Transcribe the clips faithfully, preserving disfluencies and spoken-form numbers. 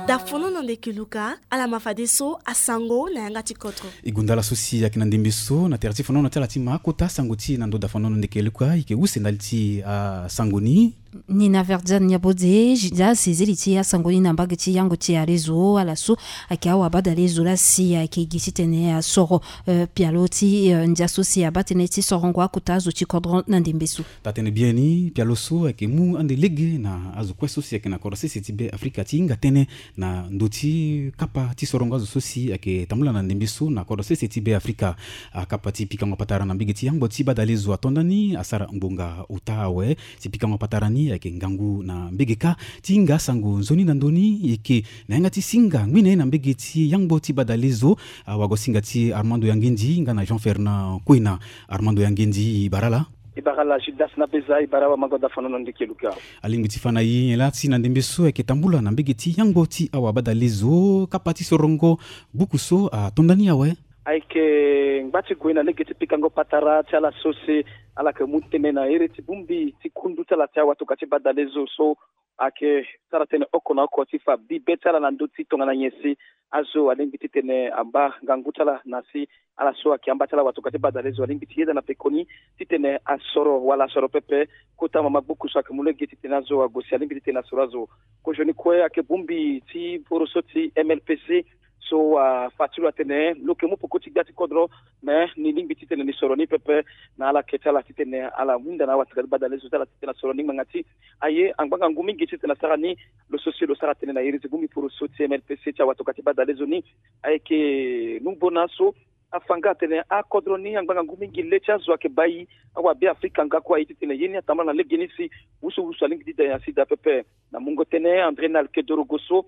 Dafono na ndeke luka, ala ma fadeso asango na yanga ti kodro. E gonda ala so si ayeke na ndembe so na tere ti fonono ti ala ti ma akota sango ti e na ndo dafono na ndeke luka, e yeke use ndali ti asango ni. Nina Verdiane Niabodze, Judas, ezili ti asango ni na mbage ti yango ti arezo, ala so ayeke awabadale zo laa si ayeke gi titene asoro, eh, pialo ti, eh, ndia so si abaa tënë ti sorongo akota azo ti kodro na ndembe so. Taa-tënë biani, pialo so ayeke mu ande lege na azo kue so si ayeke na kodro sese ti Be Afrika ti hinga tënë na ndö ti kapa ti sorongo azo so si ayeke tambula na ndembe so na kodro sese ti Be Afrika. Akapa ti pikango patara na mbege ti yangbo ti badale zo ato nda ni asara ngbonga ota awe. Si pikango patara ni ayeke ngangu na mbege kâ ti hinga asango nzoni na ndö ni, e yeke na yanga ti singa ngbi na ye na mbege ti yangbo ti badale zo. Awagosinga ti Armando Yangendi nga na Jean Fernand Koina. Armando Yangendi, e bara ala. E bara ala Judas na Beza, e bara awamango dafono na ndeke luka. Alingbi ti fa na e nyen laa si na ndembe so ayeke tambula na mbege ti yangbo ti awabadale zo, kapa ti sorongo buku so ato nda ni awe? Ayeke ngba ti gue na lege ti pikango patara ti ala so si ala yeke mu tënë na iri ti bongbi ti kundu ti ala ti awatoka ti badale zo so ayeke sara tënë oko na oko ti fa bibe ti ala na ndö ti tongana nyen si azo alingbi titene amba ngangu ti ala na si ala so ayeke amba ti ala watoka ti badale zo alingbi ti yeda na pekoni titene asoro wala asoro pepe kota mama gbuku so ayeke mu lege titene azo ague si alingbi titene asoro azo. Kozoni kue ayeke bongbi ti poroso ti M L P C so afa ti lo atene lo yeke mu peko ti gbia ti kodro, me ni lingbi titene ni soro ni pepe na ala yeke ti ala titene ala hunda na awatoka ti badale zo ti ala titene asoro ni ngbanga ti aye angba ngangu mingi titene asara ni. Lo so si lo sara tënë na iri ti bongbi poroso ti M L P C ti awatoka ti badale zo ni ayeke nungbona so afa nga atene akodro ni angba ngangu mingi le ti azo ayeke bai awabe Afrika nga kue aye titene ye ni atambula na legeni si wusuwusu alingbi ti da nyen asi daa pepe. Na mungo tënë André Nalkedorogo so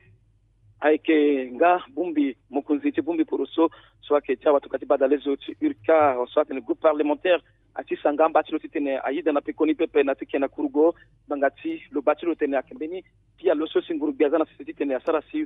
ayeke nga bongbi mokonzi ti bongbi poroso so ayeke ti awatoka ti badale zo ti URCAR so atene groupe parlementaire ati sanga amba ti lo titene ayeda na pekoni pepe na ti ke na kurugo ngbanga ti lo baa ti lo tene ayeke mbeni pialo so si nguru gbia aza na sese titene asara si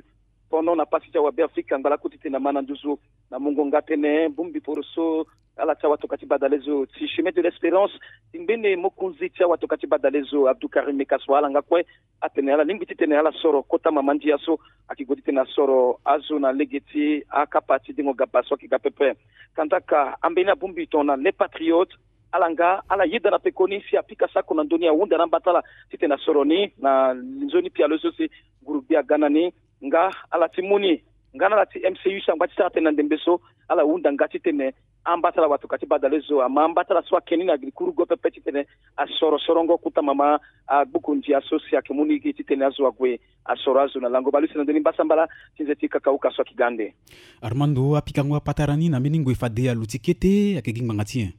pono na pasi ti awabe Afrika angba lakue titene ama na nduzu. Na mungo nga tënë bongbi poroso ala ti awatoka ti badale zo ti Chemin de l'Espérance ti ngbene mokonzi ti awatoka ti badale zo Abdou Karim Mekassoua ala nga kue atene ala lingbi titene ala soro kota mama ndia so ayeke gue titene asoro azo na lege ti akapa ti dengo gaba so ayeke ga pepe. Kandaka ambeni abongbi tongana Les Patriotes ala nga ala yeda na pekoni si apika sako na ndö ni ahunda na amba ti ala titene asoro ni na nzoni pialo so si nguru gbia aga na ni. Nga ala ti mu ni nga na ala ti M C U so angba ti sara tënë na ndembe so ala hunda nga titene amba ti ala watoka ti badale zo ama amba ti ala so ake ni na giri kurugo pepe titene asoro sorongo kota mama agbuku ndia so si ayeke mu ni gi titene azo ague asoro azo na lango bale use na ndö ni mbasambala ti nze ti kakauka so ayeke ga ande. Armando, apikango apatara ni na mbeni ngoi fade aluti kete ayeke gi ngbanga ti nyen?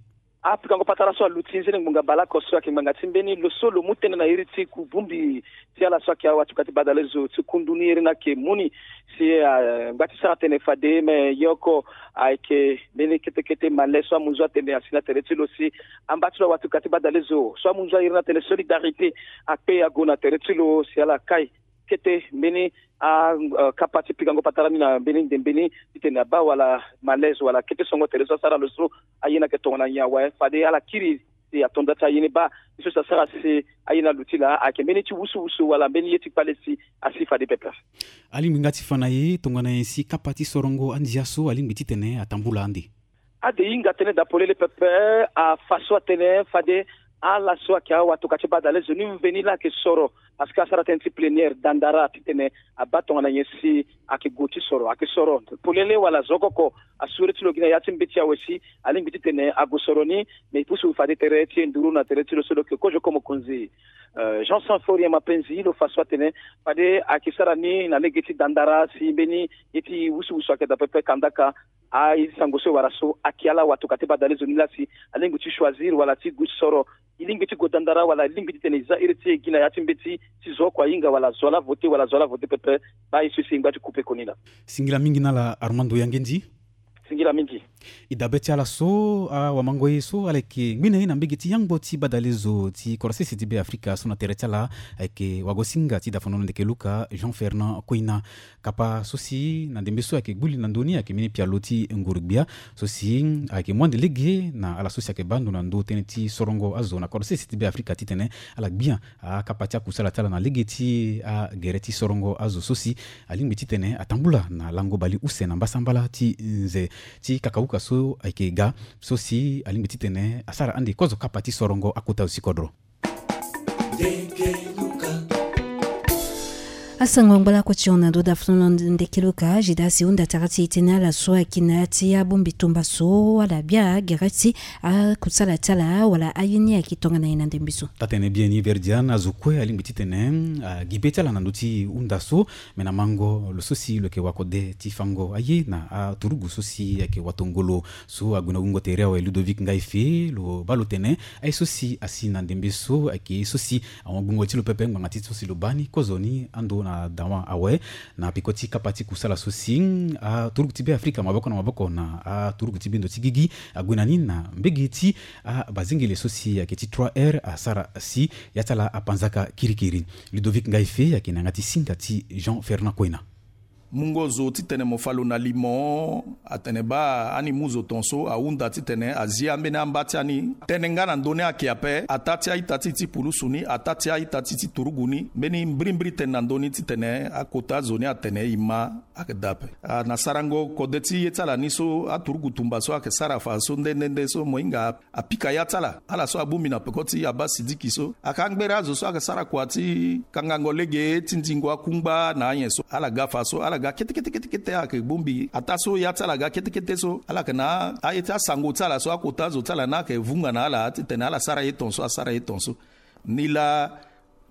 Apikango patara so aluti nzene ngbonga baleoko so ayeke ngbanga ti mbeni lo so lo mu tënë na iri ti kubumbi ti ala so ayeke awatuka ti badale zo ti kundu ni iri ni ayeke mu ni si, ah, ngba ti sara tene fade me yoko ayeke mbeni kete kete male so amunzu atene asi na tere ti lo si amba ti lo awatuka ti badale zo so amunzu airi ni atene solidarité akpe ague na tere ti lo si ala kai kete mbeni a, eh, kapa ti pikango patara ni na mbeni ndembe ni titene abaa wala malaise wala kete songo tere so asara lo so aye ni ayeke tongana nyen awe fade ala kiri si ato nda ti aye ni baa ye so si asara si aye ni aluti laa ayeke mbeni ti wusuwusu wala mbeni ye ti kpale si asi fade pepe. Alingbi nga ti fa na e tongana nyen si kapa ti sorongo andia so alingbi titene atambula ande? Ade hinga tënë daa polele pepe afa so atene fade ala so ayeke awatuka ti badale zo ni mveni laa ayeke soro parce que asara tënë ti plénière dandara titene abaa tongana nyen si ayeke gue ti soro ayeke soro polele wala zo oko oko asure ti lo gi na ya ti mbeti awe si alingbi titene ague soro ni. Me e pusu fade tere ti e nduru na tere ti lo so lo yeke kozo oko mokonzi, eh, Jean Sanforia Mapenzi lo fa so atene fade ayeke sara ni na lege ti dandara si mbeni ye ti wusuwusu ayeke daa pepe kandaka. Aye ti sango so e wara so ayeke ala watuka ti badale zo ni laa si alingbi ti choisir wala ti gue soro e lingbi ti gue dandara wala e lingbi titene e za iri ti e gi na ya ti mbeti ti zo oko ahinga wala zo ala vote wala zo ala vote pepe. Baa ye so si e ngba ti kupe koni laa. Singila mingi na ala Armando Yangendi. Singila mingi. E dabe ti ala so, awamango ye so ala yeke ngbene ye na mbege ti yangbo ti badalezo ti kodro sese ti Be Afrika so na tere ti ala, ayeke wagosinga ti dafonono ndeke luka Jean Fernand Koina. Kapa so si na ndembe so ayeke gbu li na ndö ni ayeke mbeni pialo ti nguru-gbia so si ayeke mu ande lege na ala so si ayeke baa ndo na ndö tënë ti sorongo azo na kodro sese ti Be Afrika titene ala gbia akapa ti akusala ti ala na lege ti agere ti sorongo azo so si alingbi titene atambula na lango bale use na mbasambala ti nze ti kakauka so ayeke ga so si alingbi titene asara ande kozo kapa ti sorongo akota azo ti kodro. Asango angba lakue ti hon na ndo dafonono ndeke luka Judas e hunda tara ti e tënë ala so ayeke na ya ti abongbi tumba so ala bia gere ti akusala ti ala wala aye ni ayeke tongana nyen na ndembe so. Taa-tënë biani Verdiane, azo kue alingbi titene agi be ti ala na ndö ti hunda so. Me na mango lo so si lo yeke wakode ti fango aye na aturugu so si ayeke watongolo so ague na wungo tere awe Ludovic Ngaife lo baa lo tene aye so si asi na ndembe so ayeke ye so si ahon gbungo ti lo pepe ngbanga ti so si lo baa ni kozoni ando na dawa awe na peko ti kapa ti kusala so si aturugu ti Be Afrika maboko na maboko na aturugu ti bendo ti gigi ague na ni na mbege ti abazengele so si ayeke ti trois R asara si ya ti ala apanzaka kirikiri. Ludovic Ngaife ayeke na yanga ti singa ti Jean Fernand Koina. Mungo zo titene mo fa lo na limo atene baa ani mu zo ton so ahunda titene azi ambeni amba ti ani tënë nga na ndö ni ayeke ape ataa ti a-ita ti ti pulusu ni ataa ti a-ita ti ti turugu ni mbeni mbirimbiri tënë na ndö ni titene akota zo ni atene e ma ayeke daa ape. Ah, na sarango kode ti ye ti ala ni so aturugu tumba so ayeke sara fa so nde nde nde so mo hinga apika ya ti ala ala so abongbi na peko ti Abba Sidiki so ayeke angbere azo so ayeke sara kua ti kangango lege ti ndingo akungba na anyen so ala ga fa so ala ga kete kete kete kete ayeke bongbi ataa so ya ti ala ga kete kete so ala yeke na aye ti asango ti ala so akota azo ti ala ni ayeke vunga na ala titene ala sara ye ton so asara ye ton so. Nilaa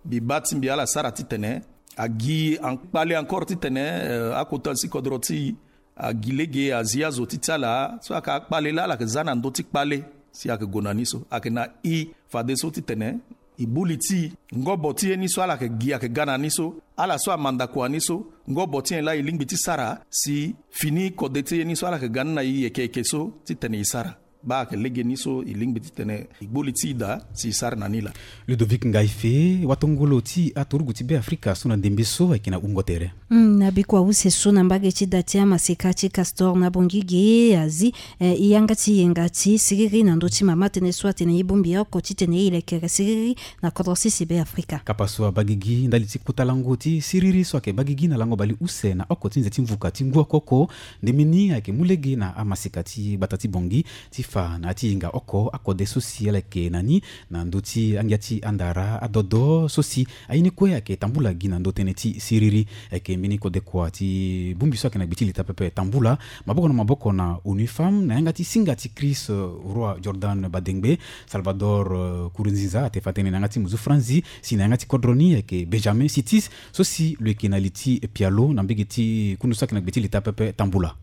mbi baa ti mbi ala sara titene agi akpale encore titene eh, akota azo ti kodro ti e agi lege azi azo ti ti ala so ayeke akpale laa ala yeke za na ndö ti kpale si ayeke gue na ni so ayeke na e fadeso titene e bu li ti e ngobo ti ye ni so ala yeke gi ayeke ga na ni so ala so amanda kua ni so ngobo ti nyen laa e lingbi ti sara si fini kode ti ye ni so ala yeke ga ni na e yeke yeke so titene e sara. Baa ayeke lege ni so e lingbi titene e gbu li ti e daa si e sara na ni laa. Ludovic Ngaife, watongolo ti aturugu ti Be Afrika so na ndembe so ayeke na wungo tere. Hmm, na bikua use so na mbage ti da ti amaseka ti Castor na Bangui ge azi eh, e yanga ti yenga ti siriri na ndö ti mama tënë so atene e bongbi oko titene e lekere siriri na kodro sese Be Afrika. Kapa so abaa gigi ndali ti kota lango ti siriri so ayeke baa gigi na lango bale use na oko ti nze ti mvuka ti ngu oko oko. Ndembe ni ayeke mu lege na amaseka ti gbata ti Bangui ti fa na ya ti yenga oko akode so si ala yeke na ni na ndö ti angia ti andara adodo so si aye ni kue ayeke tambula gi na ndö tënë ti siriri. Ayeke mbeni kodekua ti bongbi so ayeke na gbe ti leta pepe tambula maboko na maboko na ONU Femmes na yanga ti singa ti Chris eh, Roi Jordan Badengbe, Salvador eh, Nkurunziza, ate fa tënë na yanga ti muzu Franzi, si na yanga ti kodro ni ayeke Benjamin Sitis so si lo yeke na li ti pialo na mbege ti kundu so ayeke na gbe ti leta pepe tambula.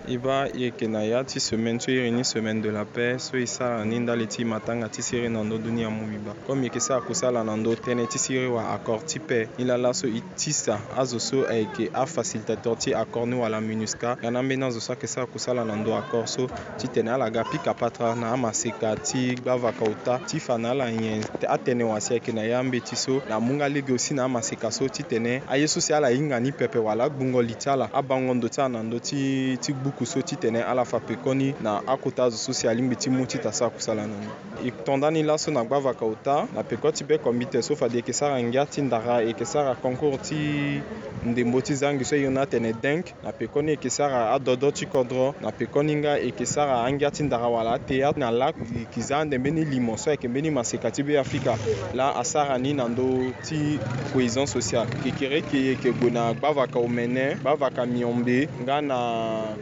E baa e yeke na ya ti semaine so iri ni semaine de la paix so e sara ni ndali ti matanga ti siriri na ndö dunia mobimba. Comme e yeke sara kusala na ndö tënë ti siriri wala accord ti paix ni laa laso e tisa azo so ayeke afacilitateur ti accord ni wala MINUSCA nga na ambeni azo so ayeke sara kusala na ndö accord so titene ala ga pika patara na amaseka ti gbavaka ota ti fa na ala nyen atene wa si ayeke na ya mbeti so na amu nga lege aussi na amaseka so titene aye so si ala hinga ni pepe wala agbungo li ti ala abango ndo ti ala na ndö ti ti gbuku so titene ala fa pekoni na akota azo so si alingbi ti mu ti ta sara kusala na ni. E to ndani laso na gbavaka ota na peko ti be kombite so fade e yeke sara ngia ti ndara e yeke sara concours ti ndembo ti zangi so e hon ni atene dengue. Na pekoni e yeke sara adodo ti kodro na pekoni nga e yeke sara angia ti ndara wala athéâtre na lac e yeke za ande mbeni limo so ayeke mbeni maseka ti be afrika laa asara ni na ndö ti cohésion sociale. Kekereke e yeke gue na gbavaka omene gbavaka miombe nga na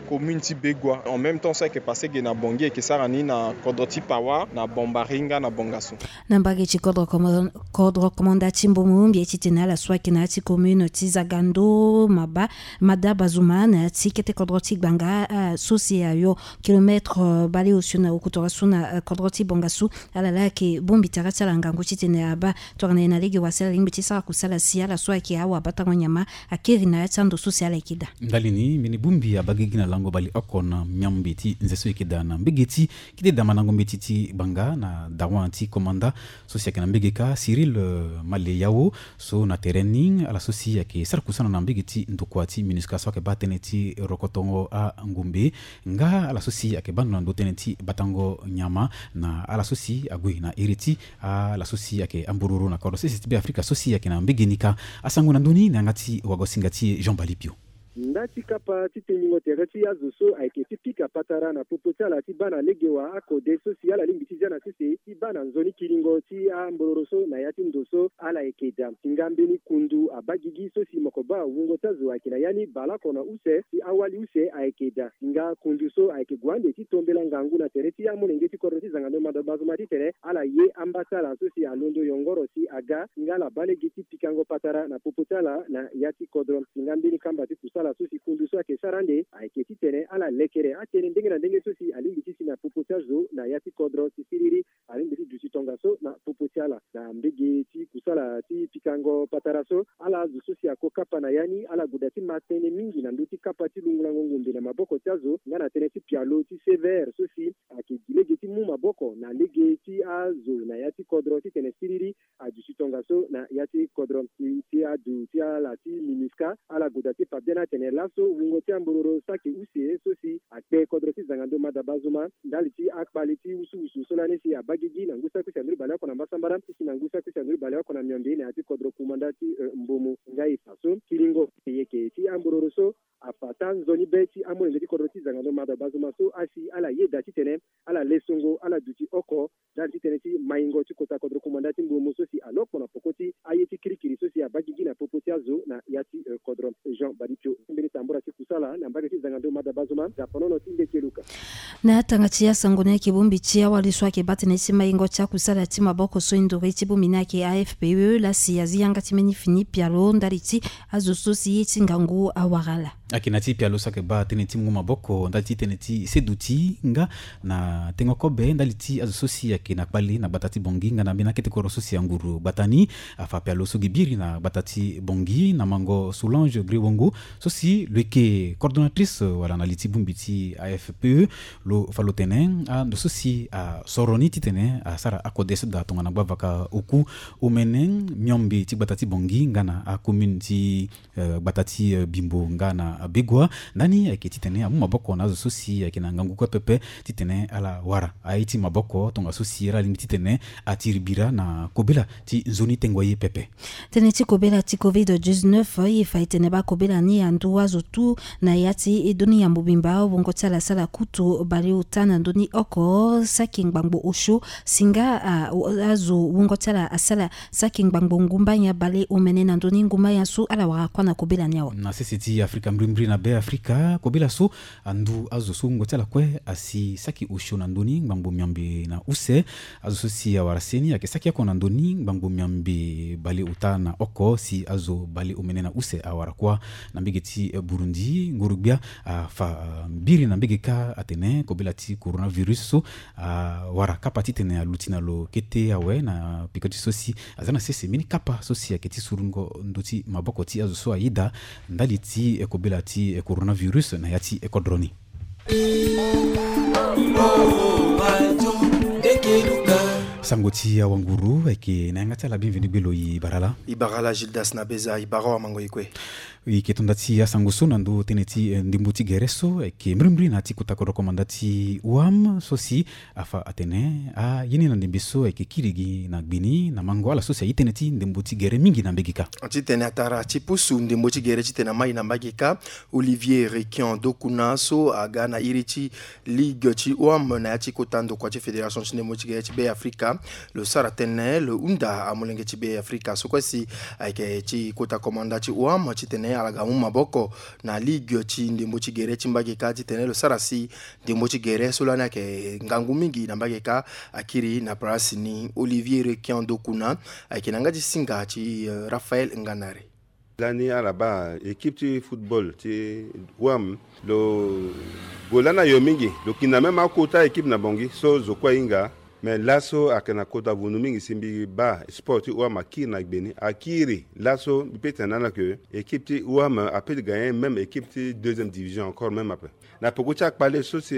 commune ti begua en même temps so ayeke passe ge na bongi e yeke sara ni na kodro ti pawa na bombari nga na bongaso. Na mbage ti kodro komanda ti mbumu mbi ye titene ala so ayeke na ya ti commune ti zagando maba mada bazuma na ya ti kete kodro ti gbanga so si ayo kilometre baleosio na okutoro so na kodro ti bongaso. Ala laa ayeke bongbi tara ti ala ngangu titene abaa tongana e na lege wa si ala lingbi ti sara kusala si ala so ayeke awabatango nyama akiri na ya ti ando so si ala yeke daa. Ndali ni mbeni bongbi abaa gigi na lango bobali oko na miombe ti nze so eke daa na mbege ti kete damandango mbeti ti banga na dawan ti komanda so si ayeke na mbege kâ Cyril Maleyao. So na tere ni ala so si ayeke sara kusana na mbege ti ndokua ti MINUSCA so ayeke baa tënë ti rokotongo angumbe nga ala so si ayeke baa ndo na ndo tënë ti batango nyama na ala so si ague na iri ti ala so si ayeke ambororo na kodro sese ti Beafrika so si ayeke na mbege ni kâ. Asango na ndö ni na yanga ti wagosinga ti e Jean Balipio. Nda ti kapa ti tengbingo tere ti azo so ayeke ti pika patara na popo ti ala ti baa na lege wa akode so si ala lingbi ti zia na sese ti baa na nzoni kiringo ti ambororo so na ya ti ndo so ala yeke daa. Singa mbeni kundu abaa gigi so si moko baa wungo ti azo ayeke na ya ni baleoko na use si awali use ayeke daa. Singa kundu so ayeke gue ande ti tombela ngangu na tere ti amolenge ti kodro ti zangando mada bazoma titene ala ye amba ti ala so si alondo yongoro si aga. Singa ala baa lege ti pikango patara na popo ti ala na ya ti kodro. Singa mbeni kamba ti kusala so si kundu so ayeke sara ande ayeke titene ala lekere atënë ndenge na ndenge so si alingbi ti si na popo ti azo na ya ti kodro si siriri. Alingbi ti duti tongaso na popo ti ala na mbege ti kusala ti pikango patara so. Ala azo so si ako kapa na ya ni ala goda ti ma tënë mingi na ndö ti kapa ti lungulango ngombe na maboko ti azo nga na tënë ti pialo ti C V R so si ayeke gi lege ti mu maboko na lege ti azo na ya ti kodro titene siriri aduti tongaso na ya ti kodro. Ti, ti adu ti ala ti MINUSCA ala goda ti fa biani atene laso wungo ti ambororo saki use so si akpe kodro ti zangando mada bazoma ndali ti akpali ti wusuwusu so lani si abaa gigi na ngu saki use anduru baleoko na mbasambara ti si na ngu saki use anduru baleoko na miombe na ya ti kodro kumanda ti eh, mbomo. Nga e fa so kiringo yeke ti ambororo so afa taa nzoni be ti amolenge ti kodro ti zangando mada bazoma so asi ala yeda titene ala lesongo ala duti oko ndali ti tënë ti maingo ti kota kodro kumanda ti mbomo so si alokpo na poko ti aye ti kirikiri so si abaa gigi na popo ti azo na ya ti eh, kodro. Jean Balipio mbeni tambura ti kusala na mbage ti zangando mada bazoma. Zapanono ti ndeke luka. Na atanga ti asango ni ayeke bongbi ti awali so ayeke baa tënë ti maingo ti akusala ti maboko so e nduri ti bongbi ni ayeke A F P E laa si azi yanga ti mbeni fini pialo ndali ti azo so si ye ti ngangu awara ala. Ayeke na ti pialo so ayeke baa tënë ti mungo maboko ndali ti tënë ti seduti nga na tengo kobe ndali ti azo so si ayeke na kpale na gbata ti Bangui nga na mbeni akete kodro so si anguru gbata ni. Afa pialo so gi biri na gbata ti Bangui na mango Solange Griwongo so si lo yeke coordonnatrice wala na li ti bongbi ti A F P E. Lo fa lo tene ando so si asoro ni titene asara akode so daa tongana gbavaka oku omene miombe ti gbata ti Bangui nga na acommune ti eh, gbata ti eh, Bimbo nga na Begoua. Ndani ayeke titene amu maboko na azo so si ayeke na ngangu kue pepe titene ala wara aye ti maboko tongaso si ala lingbi titene atiri bira na kobela ti nzoni tengo ye pepe. Tënë ti kobela ti covid dix-neuf e fa e tene baa kobela ni andu azo tu na ya ti e dunia mobimba. Wungo ti ala asala kutu baleota na ndö ni oko saki ngbangbo osio. Singa ah, azo wungo ti ala asala saki ngbangbo ngumba nyen baleomene na ndö ni ngumba nyen so ala wara kuâ na kobela ni awe. Na sese ti Afrika mbrimbri na Beafrika kobela so andu azo so wungo ti ala kue asi saki osio na ndö ni ngbangbo miombe na use. Azo so si awara seni ayeke saki oko na ndö ni ngbangbo miombe baleota na oko si azo baleomene na use awara kuâ. Na mbege ti eh, Burundi nguru-gbia afa mbiri na mbege kâ atene kobela ti coronavirus so awara kapa titene aluti na lo kete awe na peko ti so si aza na sese mbeni kapa so si ayeke ti surungo ndö ti maboko ti azo so ayeda ndali ti eh, kobela ti eh, coronavirus na ya ti eh, kodro ni. Sango ti awanguru ayeke na yanga ti ala. Bienvenu gbelo, e bara ala? E bara ala Gildas na beza, e bara awamango e kue. E yeke tonda ti asango so na ndö tënë ti eh, ndembo ti gere so ayeke mbrimbri na ya ti kota kodro komanda ti wam so si afa atene aye ni na ndembe so ayeke kiri gi na gbe ni na mango ala so si aye tënë ti ndembo ti gere mingi na mbege kâ. Titene atara ti pusu ndembo ti gere titene amai na mbage kâ, Olivier Requian Dokuna so aga na iri ti ligue ti wam na ya ti kota ndokua ti fédération ti ndembo ti gere ti Beafrika. Lo sara tënë lo hunda amolenge ti Beafrika so kue si ayeke ti kota komanda ti wam titene ala ga mu maboko na ligue ti ndembo ti gere ti mbage kâ titene lo sara si ndembo ti gere so lani ayeke ngangu mingi na mbage kâ akiri na place ni. Olivier Requian Dokuna ayeke na yanga ti singa ti eh, Raphaël Nganare. Lani ala baa équipe ti football ti wam lo gue lani ayo mingi, lo yeke na même akota équipe na Bangui so zo kue ahinga. Mais laso ayeke na kota vundu mingi si mbi baa sport ti O M akiri na gbe ni, akiri laso mbi pe tene na ala ke équipe ti O M ape ti gagner même équipe ti deuxième division encore même ape. Na peko ti akpale so si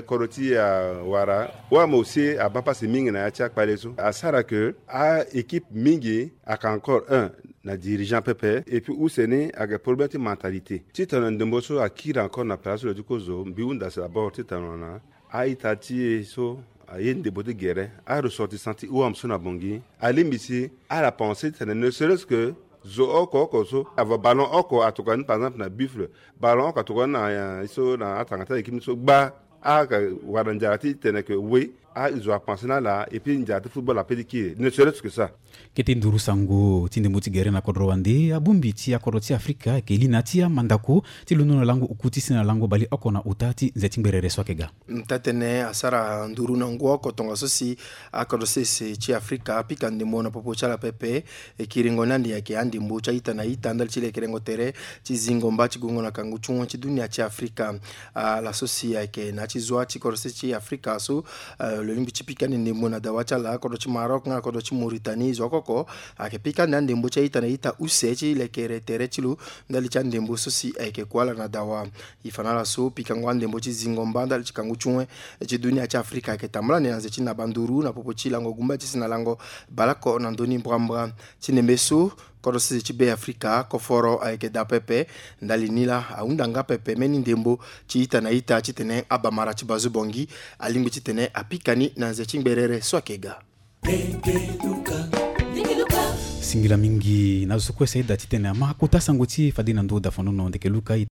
kodro ti awara O M aussi abaa pasi mingi na ya ti akpale so asara ke a équipe mingi ayeke encore un na dirigeant pepe et puis use ni ayeke problème ti mentalité titene ndembo so akiri encore na place ti lo ti kozo mbi hunda si d'abord titene na a-ita ti e so aye ndembo ti gere aressortissant ti O M so na Bangui alingbi si ala pense titene ne serait-ce que zo oko oko so ava ballon oko atokua ni par exemple na buffle, ballon oko atokua ni na so na atanga ti équipe ni so gba. Ayeke wara nzara ti tene ke oui azo apense na ala et puis nzara ti football ape ti kiri ne serait-ce que ça. Kete nduru sango ti ndembo ti gere na kodro wande abongbi ti akodro ti Afrika ayeke li na ya ti amandako ti londo na lango oku ti si na lango baleoko na ota ti nze ti ngberere so ayeke ga. Taa-tënë asara nduru na ngu oko tongaso si akodro sese ti Afrika apika ndembo na popo ti ala pepe. E kiringo ni ande ayeke andembo ti a-ita na ita ndali ti lekerengo tere ti zingo mba ti gongo na kangu ti wen ti dunia ti Afrika. Ah, laso si ayeke na ya ti zua ti kodro sese ti Afrika so, ah, lo lingbi ti pika ande ndembo na dawa ti ala kodro ti Maroc nga na kodro ti Mauritanie zo oko oko ayeke pika ande andembo ti a-ita na ita use ti lekere tere ti lo ndali ti andembo so si ayeke kue ala na dawa. E fa na ala so pikango andembo ti zingo mba ndali ti kangu ti wen ti dunia ti Afrika ayeke tambula ande na nze ti naba nduru na popo ti lango gumba ti si na lango baleoko na ndoni mbrambra. Ti ndembe so kodro sese ti Be Afrika koforo ayeke daa pepe. Ndali ni laa ahunda nga pepe mbeni ndembo ti ita na ita titene abamara ti bazo Bangui alingbi titene apika ni na nze ti ngberere so ayeke ga. Singila mingi na zo so kue si ayeda titene ama kota sango ti e fade na ndö dafanono ndeke luka.